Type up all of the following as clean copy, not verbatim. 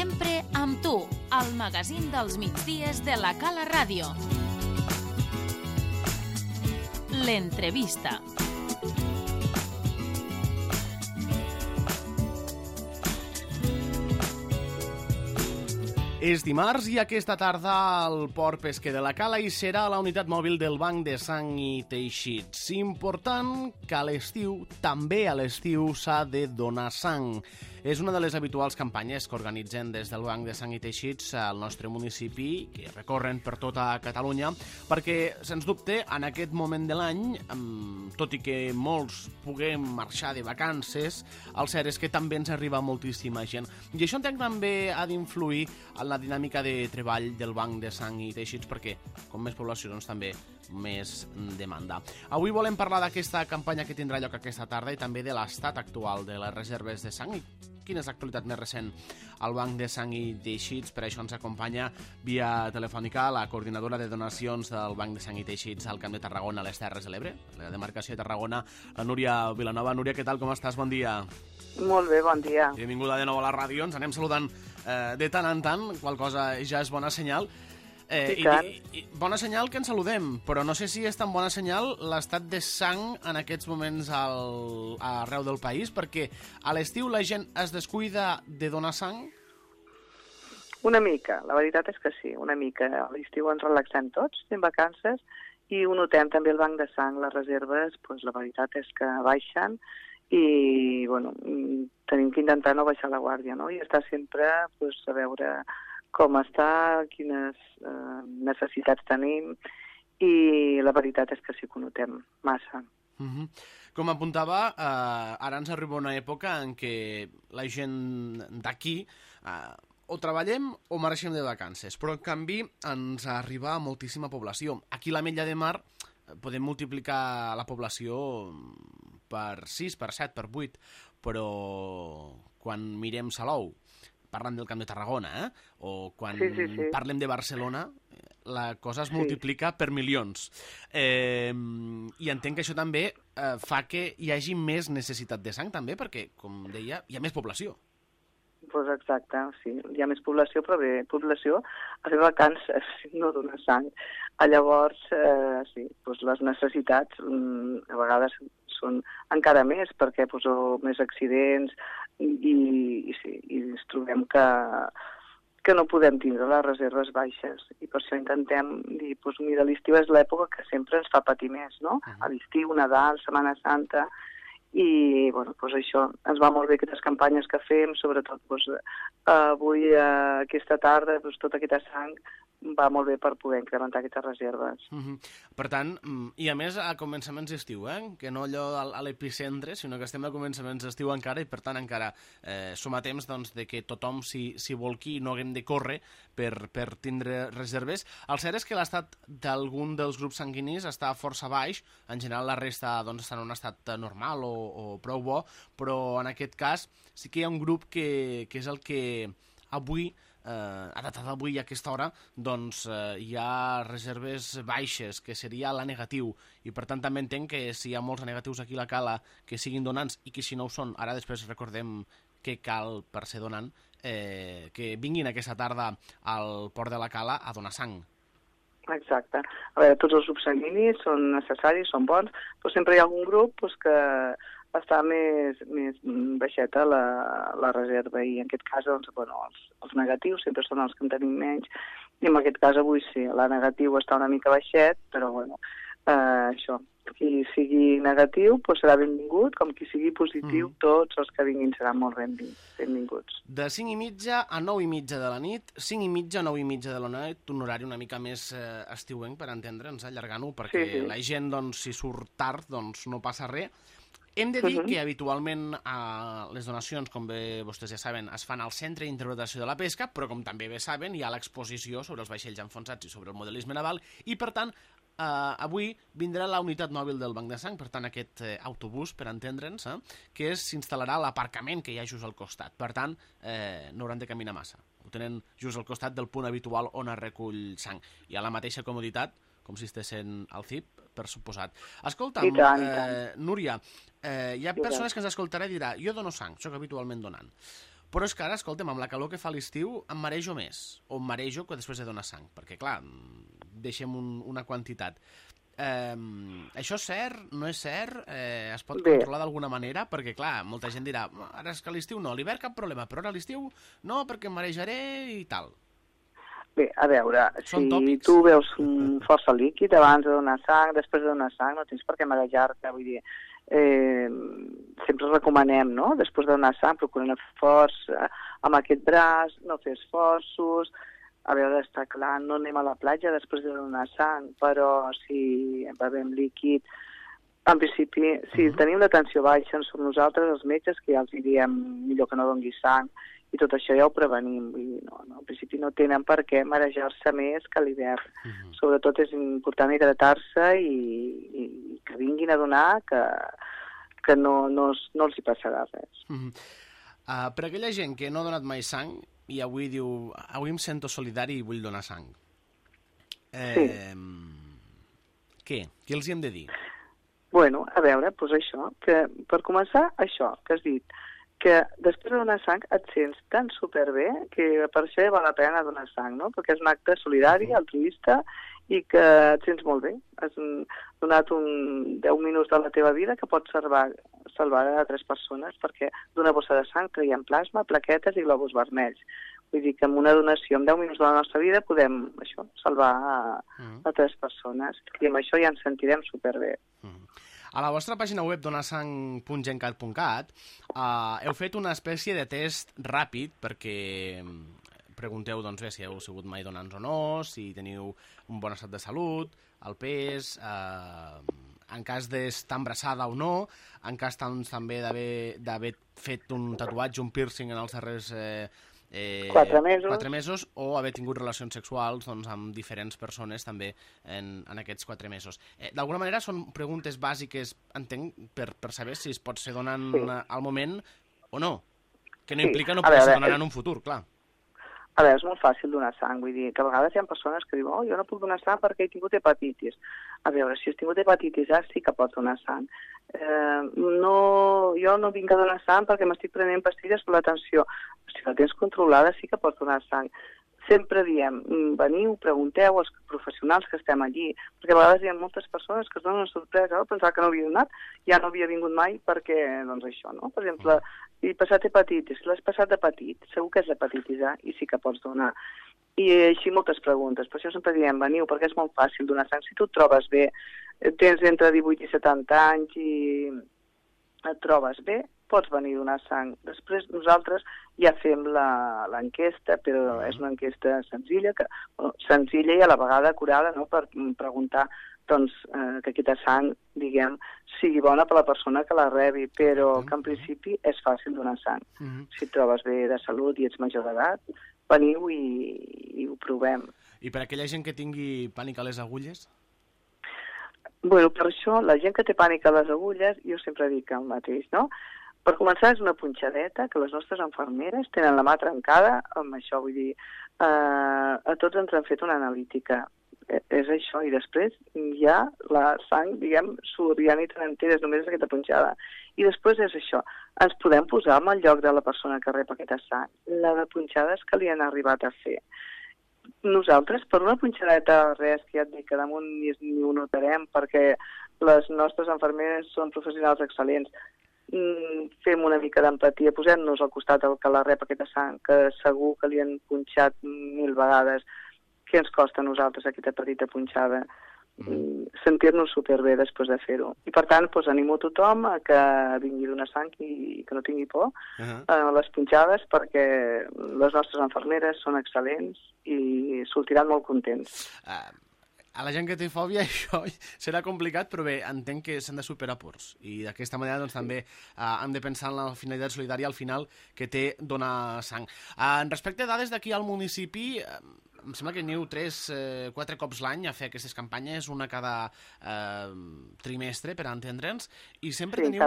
Sempre amb tu, al magazín dels migdies de la Cala Ràdio. L'entrevista. És dimarts i aquesta tarda al Port Pesquer de la Cala hi serà la unitat mòbil del Banc de Sang i Teixits. Important que a l'estiu, també a l'estiu, s'ha de donar sang. És una de les habituals campanyes que organitzen des del Banc de Sang i Teixits al nostre municipi, que recorren per tota Catalunya, perquè, sens dubte, en aquest moment de l'any, tot i que molts puguem marxar de vacances, el cert és que també ens arriba moltíssima gent. I això entenc també ha d'influir en la dinàmica de treball del Banc de Sang i Teixits, perquè com més població, doncs també més demanda. Avui volem parlar d'aquesta campanya que tindrà lloc aquesta tarda i també de l'estat actual de les reserves de sang i quina és l'actualitat més recent al Banc de Sang i Teixits. Per això ens acompanya via telefònica la coordinadora de donacions del Banc de Sang i Teixits al Camp de Tarragona, a les Terres de l'Ebre, la demarcació de Tarragona, la Núria Vilanova. Núria, què tal, com estàs? Bon dia. Molt bé, bon dia. Benvinguda de nou a la ràdio. Ens anem saludant de tant en tant, qual cosa ja és bona senyal. I bona senyal que ens saludem, però no sé si és tan bona senyal l'estat de sang en aquests moments arreu del país, perquè a l'estiu la gent es descuida de donar sang? Una mica, la veritat és que sí, una mica. A l'estiu ens relaxem tots, fem vacances, i ho notem també el banc de sang, les reserves, doncs la veritat és que baixen i bueno, tenim que intentar no baixar la guàrdia, no? I estar sempre doncs, a veure com està, quines necessitats tenim, i la veritat és que sí que ho notem massa. Com apuntava, ara ens arriba una època en què la gent d'aquí o treballem o marxem de vacances, però en canvi ens arriba moltíssima població. Aquí a l'Ametlla de Mar podem multiplicar la població per 6, per 7, per 8, però quan mirem Salou, parlant del Camp de Tarragona, o quan parlem de Barcelona, la cosa es multiplica per milions. I entenc que això també fa que hi hagi més necessitat de sang, també, perquè, com deia, hi ha més població. Doncs exacte, sí. Hi ha més població, però bé, població a fer vacances, no donar sang. Llavors, sí, doncs les necessitats a vegades són encara més, perquè més accidents i ens trobem que no podem tindre les reserves baixes. I per això intentem dir, mira, l'estiu és l'època que sempre ens fa patir més, no? A l'estiu, Nadal, Setmana Santa, i bueno, això ens va molt bé aquestes campanyes que fem, sobretot avui, aquesta tarda, tota aquesta sang va molt bé per poder incrementar aquestes reserves. Per tant, i a més a començaments d'estiu, que no allò a l'epicentre, sinó que estem a començaments d'estiu encara, i per tant encara som a temps de que tothom s'hi volqui i no haguem de córrer per tindre reserves. El cert és que l'estat d'algun dels grups sanguinis està força baix, en general la resta està en un estat normal o prou bo, però en aquest cas sí que hi ha un grup que és el que avui, a data d'avui a aquesta hora, hi ha reserves baixes, que seria la negatiu, i per tant també entenc que si hi ha molts negatius aquí a la Cala que siguin donants, i que si no ho són, ara després recordem què cal per ser donant, que vinguin aquesta tarda al Port de la Cala a donar sang. Exacte. A veure, tots els grups sanguinis són necessaris, són bons, però sempre hi ha algun grup que està més baixeta la reserva, i en aquest cas els negatius sempre són els que en tenim menys, i en aquest cas avui sí, la negatiu està una mica baixet, però això, qui sigui negatiu serà benvingut, com qui sigui positiu, tots els que vinguin seran molt benvinguts. De 5:30 a 9:30 de la nit, 5:30 a 9:30 de la nit, un horari una mica més estiuenc, per entendre'ns, allargant-ho, perquè la gent, si surt tard, no passa res. Hem de dir que habitualment les donacions, com bé vostès ja saben, es fan al Centre d'Interpretació de la Pesca, però com també bé saben, hi ha l'exposició sobre els vaixells enfonsats i sobre el modelisme naval, i per tant avui vindrà la unitat mòbil del Banc de Sang, per tant aquest autobús, per entendre'ns, que s'instal·larà a l'aparcament que hi ha just al costat. Per tant, no hauran de caminar massa. Ho tenen just al costat del punt habitual on es recull sang. Hi ha la mateixa comoditat, com si estiguessin al CIP, per suposat. Escolta'm, Núria, hi ha persones que ens escoltaran i diran, jo dono sang, soc habitualment donant, Però és que ara, escolta'm, amb la calor que fa a l'estiu em marejo més, o em marejo que després de donar sang, perquè, clar, deixem una quantitat. Això és cert? No és cert? Es pot controlar d'alguna manera? Perquè, clar, molta gent dirà, ara és que a l'estiu no, a l'hivern cap problema, però ara a l'estiu no, perquè em marejaré i tal. Bé, a veure, si tu veus força líquid abans de donar sang, després de donar sang, no tens per què marejar-te, vull dir, sempre recomanem, no?, després de donar sang, procurar anar forts amb aquest braç, no fer esforços. A veure, està clar, no anem a la platja després de donar sang, però si bevem líquid, en principi, si tenim la tensió baixa, som nosaltres, els metges, que ja els diem millor que no dongui sang, i tot això ja ho prevenim. Vull dir, no, en principi no tenen per què marejar-se més que a l'hivern. Sobretot és important hidratar-se i que vinguin a donar, que no els hi passarà res. Per aquella gent que no ha donat mai sang i avui diu, avui em sento solidari i vull donar sang. Què? Què els hi hem de dir? Bueno, a veure, doncs això, que per començar, això que has dit, que després de donar sang et sents tan superbé que per això ja val la pena donar sang, no? Perquè és un acte solidari, altruista, i que et sents molt bé. Has donat 10 minuts de la teva vida que pots salvar a 3 persones, perquè d'una bossa de sang traiem plasma, plaquetes i globus vermells. Vull dir que amb una donació, en 10 minuts de la nostra vida, podem salvar a 3 persones. I amb això ja ens sentirem superbé. A la vostra pàgina web donasang.gencat.cat heu fet una espècie de test ràpid perquè pregunteu doncs, bé, si heu sigut mai donants o no, si teniu un bon estat de salut, el pes, en cas d'estar embarassada o no, en cas també d'haver fet un tatuatge, un piercing en els darrers 4 mesos o haver tingut relacions sexuals doncs, amb diferents persones també en aquests 4 mesos. D'alguna manera són preguntes bàsiques, entenc, per saber si es pot ser donant al moment o no, que no implica no poder ser donant en un futur, clar. A veure, és molt fàcil donar sang, vull dir que a vegades hi ha persones que diuen jo no puc donar sang perquè he tingut hepatitis. A veure, si has tingut hepatitis A sí que pots donar sang. Jo no vinc a donar sang perquè m'estic prenent pastilles per la tensió. Si la tens controlada sí que pots donar sang. Sempre diem, veniu, pregunteu als professionals que estem allí, perquè a vegades hi ha moltes persones que es donen una sorpresa, pensar que no havia donat, ja no havia vingut mai perquè, doncs això, no? Per exemple, he passat hepatitis, l'has passat d'hepatit, segur que és l'hepatitis A i sí que pots donar. I així moltes preguntes, per això sempre diem, veniu, perquè és molt fàcil donar sang. Si tu et trobes bé, tens entre 18 i 70 anys i et trobes bé, pots venir a donar sang. Després nosaltres ja fem l'enquesta, però és una enquesta senzilla, senzilla i a la vegada acurada, no?, per preguntar doncs, que aquesta sang, diguem, sigui bona per la persona que la rebi, però que en principi és fàcil donar sang. Si et trobes bé de salut i ets major d'edat, veniu i ho provem. I per aquella gent que tingui pànic a les agulles? Bueno, per això, la gent que té pànic a les agulles, jo sempre dic el mateix, no? Per començar, és una punxadeta que les nostres infermeres tenen la mà trencada amb això, vull dir, a tots ens han fet una analítica. És això, i després ja la sang, diguem, surt, ja ni te n'enteres, només és aquesta punxada. I després és això, ens podem posar en el lloc de la persona que rep aquesta sang, la de punxades que li han arribat a fer. Nosaltres, per una punxadeta res, que ja et dic, que damunt ni ho notarem, perquè les nostres infermeres són professionals excel·lents, fem una mica d'empatia, posem-nos al costat del que la rep aquesta sang, que segur que li han punxat 1000 vegades. Què ens costa a nosaltres aquesta petita punxada? Sentir-nos superbé després de fer-ho. I per tant, doncs, animo a tothom a que vingui a donar sang i que no tingui por a les punxades, perquè les nostres infermeres són excel·lents i sortiran molt contents. A la gent que té fòbia això serà complicat, però bé, entenc que s'han de superar pors. I d'aquesta manera doncs, també hem de pensar en la finalitat solidària al final que té donar sang. Respecte a dades d'aquí al municipi, em sembla que aneu 3-4 cops l'any a fer aquestes campanyes, una cada trimestre, per entendre'ns, i sempre teniu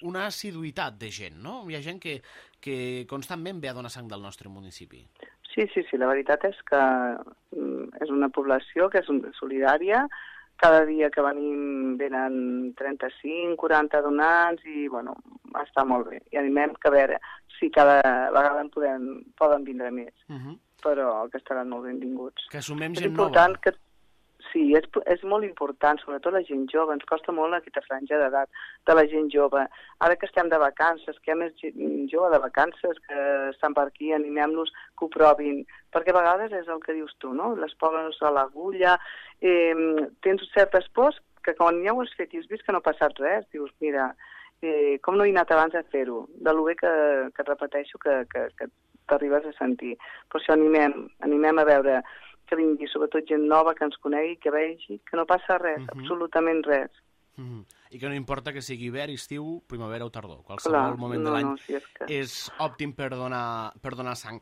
una assiduïtat de gent, no? Hi ha gent que constantment ve a donar sang del nostre municipi. Sí, la veritat és que és una població que és solidària. Cada dia que venim venen 35, 40 donants i, bueno, està molt bé. I animem que a veure si cada vegada poden vindre més. Però que estaran molt benvinguts. Que sumem És gent important nova. que sí, és molt important, sobretot la gent jove. Ens costa molt aquesta franja d'edat de la gent jove. Ara que estem de vacances, que hi ha més gent jove de vacances que estan per aquí, animem-los que ho provin. Perquè a vegades és el que dius tu, no? Les poses a l'agulla, tens certes pors que quan ja ho has fet i has vist que no ha passat res, dius, mira, com no he anat abans a fer-ho, de lo bé que et repeteixo que t'arribes a sentir. Per això animem a veure que vingui sobretot gent nova, que ens conegui, que vegi, que no passa res, absolutament res. I que no importa que sigui hivern, estiu, primavera o tardor. Qualsevol moment de l'any és òptim per donar sang.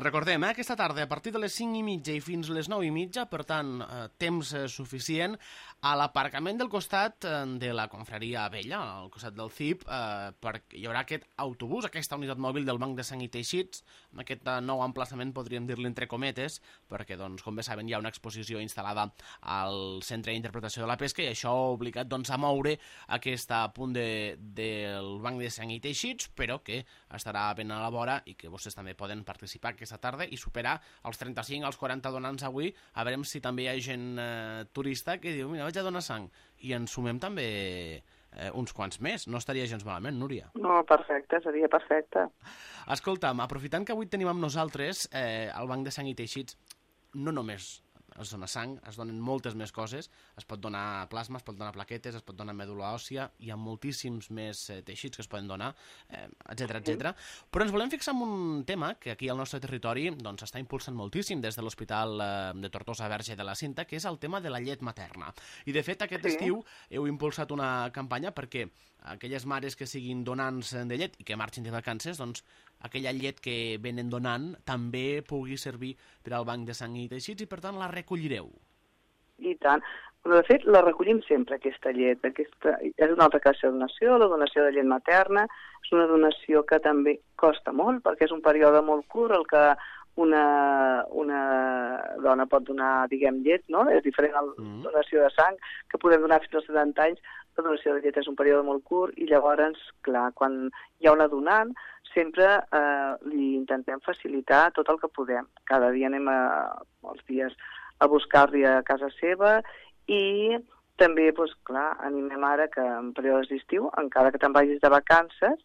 Recordem, aquesta tarda, a partir de les 5:30 i fins les 9:30, per tant, temps suficient, a l'aparcament del costat de la confraria Vella, al costat del CIP, hi haurà aquest autobús, aquesta unitat mòbil del Banc de Sang i Teixits, amb aquest nou emplaçament, podríem dir-li entre cometes, perquè, doncs, com bé saben, hi ha una exposició instal·lada al Centre d'Interpretació de la Pesca i això ha obligat a moure aquest punt del Banc de Sang i Teixits, però que estarà ben a la vora i que vostès també poden participar aquesta tarda i superar els 35, els 40 donants avui. A veure si també hi ha gent turista que diu, mira, vaig a donar sang. I ens sumem també uns quants més. No estaria gens malament, Núria. No, perfecte, seria perfecte. Escolta'm, aprofitant que avui tenim amb nosaltres el Banc de Sang i Teixits, no només es dona sang, es donen moltes més coses, es pot donar plasma, es pot donar plaquetes, es pot donar mèdula òssia, hi ha moltíssims més teixits que es poden donar, etc. Però ens volem fixar en un tema que aquí al nostre territori està impulsant moltíssim des de l'Hospital de Tortosa Verge de la Cinta, que és el tema de la llet materna. I de fet aquest estiu heu impulsat una campanya perquè aquelles mares que siguin donants de llet i que marxin de vacances, doncs aquella llet que venen donant també pugui servir per al Banc de Sang i Teixits i per tant la recollireu. I tant. Però de fet la recollim sempre, aquesta llet. És una altra classe de donació, la donació de llet materna. És una donació que també costa molt perquè és un període molt curt el que una dona pot donar, diguem, llet, no? És diferent a la donació de sang, que podem donar fins als 70 anys. La donació de llet és un període molt curt i llavors, clar, quan hi ha una donant, sempre li intentem facilitar tot el que podem. Cada dia anem els dies a buscar-li a casa seva i també, doncs, clar, animem ara que en períodes d'estiu, encara que te'n vagis de vacances,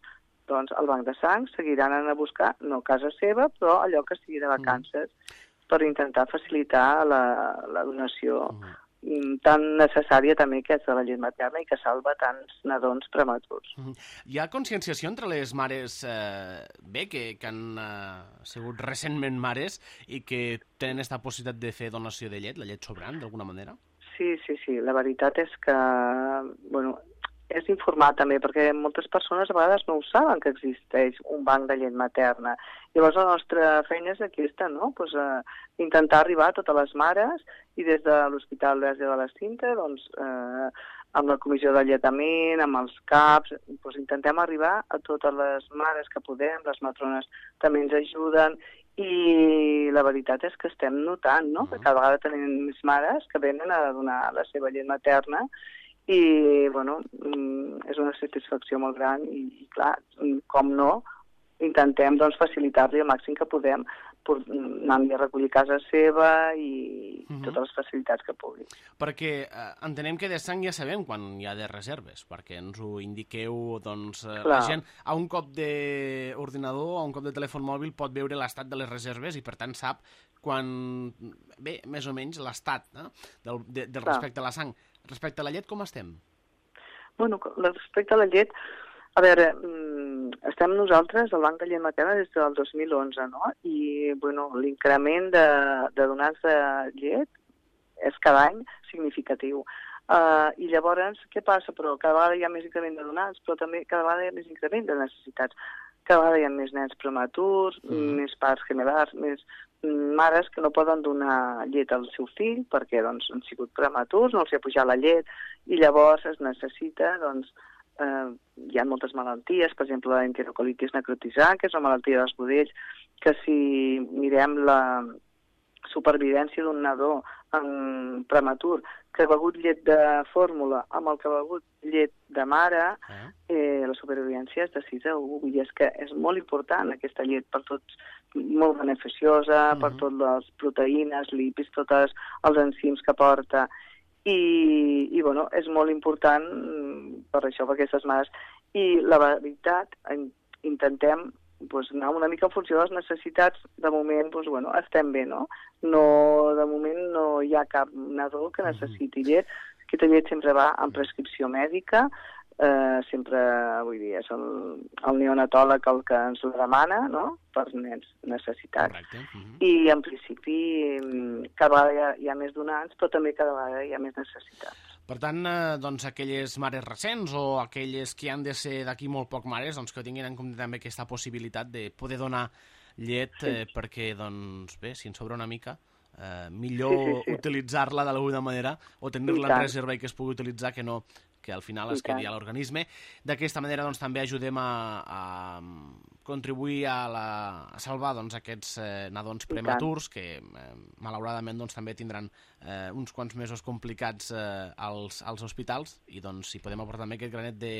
doncs el Banc de Sang seguiran anant a buscar, no a casa seva, però allò que sigui de vacances, per intentar facilitar la donació tan necessària també que és de la llet materna i que salva tants nadons prematurs. Hi ha conscienciació entre les mares que han sigut recentment mares i que tenen aquesta possibilitat de fer donació de llet, la llet sobrant, d'alguna manera? Sí. La veritat és que, és informar també, perquè moltes persones a vegades no ho saben que existeix un banc de llet materna. Llavors la nostra feina és aquesta, no? Pues, intentar arribar a totes les mares i des de l'Hospital Verge de la Cinta, doncs, amb la comissió de lletament, amb els CAPs, doncs, intentem arribar a totes les mares que podem, les matrones també ens ajuden i la veritat és que estem notant, no? Que cada vegada tenim més mares que venen a donar la seva llet materna i, és una satisfacció molt gran i clar, com no, intentem facilitar-li el màxim que podem anar-li a recollir casa seva i totes les facilitats que pugui. Perquè entenem que de sang ja sabem quan hi ha de reserves, perquè ens ho indiqueu, la gent a un cop d'ordinador, a un cop de telèfon mòbil pot veure l'estat de les reserves i per tant sap quan, més o menys l'estat del respecte a la sang. Respecte a la llet, com estem? Respecte a la llet, a veure, estem nosaltres al Banc de Llet Materna des del 2011, no? I, l'increment de donants de llet és cada any significatiu. I llavors, què passa? Però cada vegada hi ha més increment de donants, però també cada vegada hi ha més increment de necessitats. Cada vegada hi ha més nens prematurs, més parts gemel·lars, més mares que no poden donar llet al seu fill perquè han sigut prematurs, no els ha pujat la llet i llavors es necessita, hi ha moltes malalties, per exemple la enterocolitis necrotisant, que és una malaltia dels budells, que si mirem la supervivència d'un nadó prematur que ha begut llet de fórmula amb el que ha begut llet de mare, la supervivència és de 6 a 1, i és que és molt important aquesta llet per tots, molt beneficiosa, per totes les proteïnes, lipis, tots els enzims que porta, i bueno, és molt important per això, per aquestes mares. I la veritat, intentem anar una mica en funció de les necessitats. De moment, estem bé, no? De moment no hi ha cap nadó que necessiti llet. Aquesta llet sempre va en prescripció mèdica, sempre, vull dir, és el neonatòleg el que ens ho demana, no?, per nens necessitats. Correcte. I, en principi, cada vegada hi ha més donants, però també cada vegada hi ha més necessitats. Per tant, doncs, aquelles mares recents o aquelles que han de ser d'aquí molt poc mares, doncs, que tinguin en compte també aquesta possibilitat de poder donar llet, perquè, doncs, bé, si en sobra una mica, millor utilitzar-la d'alguna manera o tenir-la en reserva i que es pugui utilitzar que al final es quedi a l'organisme. D'aquesta manera doncs, també ajudem a contribuir a salvar doncs, aquests nadons prematurs que malauradament doncs, també tindran uns quants mesos complicats als hospitals, i doncs, si podem aportar també aquest granet de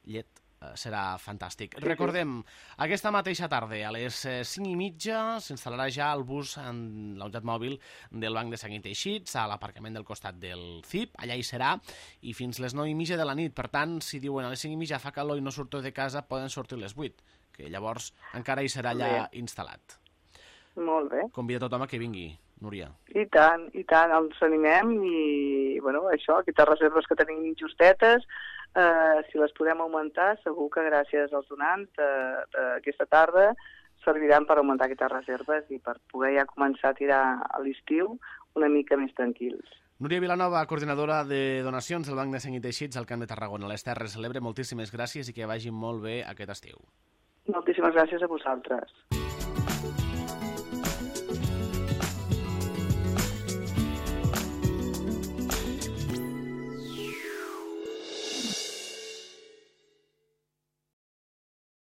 llet serà fantàstic. Recordem, aquesta mateixa tarda, a les 5:30, s'instal·larà ja el bus en la unitat mòbil del Banc de Sang i Teixits, a l'aparcament del costat del CIP. Allà hi serà, i fins les 9:30 de la nit. Per tant, si diuen a les 5:30 fa calor i no surto de casa, poden sortir a les 8, que llavors encara hi serà allà instal·lat. Molt bé. Convida tothom a que vingui, Núria. I tant, ens animem, i, això, aquestes reserves que tenim justetes, si les podem augmentar, segur que gràcies als donants d'aquesta tarda serviran per augmentar aquestes reserves i per poder ja començar a tirar a l'estiu una mica més tranquils. Núria Vilanova, coordinadora de donacions del Banc de Sang i Teixits al Camp de Tarragona, a les Terres de l'Ebre, moltíssimes gràcies i que vagi molt bé aquest estiu. Moltíssimes gràcies a vosaltres.